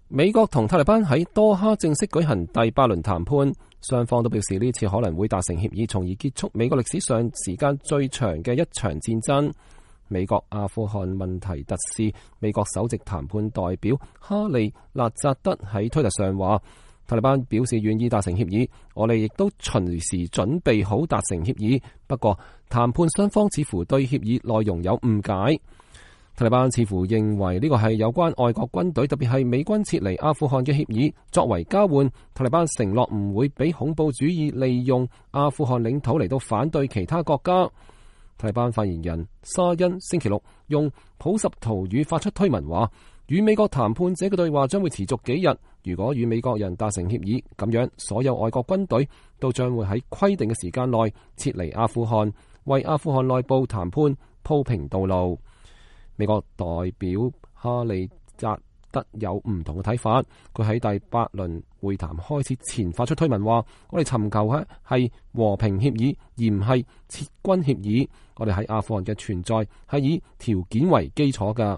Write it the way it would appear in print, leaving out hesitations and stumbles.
美國同塔利班喺多哈正式舉行第8輪談判，雙方都表示呢次可能會達成協議，從而結束美國歷史上時間最長嘅一場戰爭。美國阿富汗問題特使、美國首席談判代表哈利納扎德喺推特上話，塔利班表示願意達成協議，我哋亦都隨時準備好達成協議。不過談判雙方似乎對協議內容有誤解。塔利班似乎認為呢個係有關外國軍隊，特別係美軍撤離阿富汗嘅協議。作為交換，塔利班承諾唔會俾恐怖主義利用阿富汗領土嚟到反對其他國家。塔利班發言人沙恩星期六用普什圖語發出推文話，與美國談判者嘅對話將會持續幾日。如果與美國人達成協議，咁樣所有外國軍隊都將會喺規定嘅時間內撤離阿富汗，為阿富汗內部談判鋪平道路。美國代表哈利扎德有唔同嘅睇法，佢喺第8輪會談開始前發出推文話，我哋尋求嘅係和平協議，而唔係撤軍協議。我哋喺阿富汗嘅存在係以條件為基礎㗎。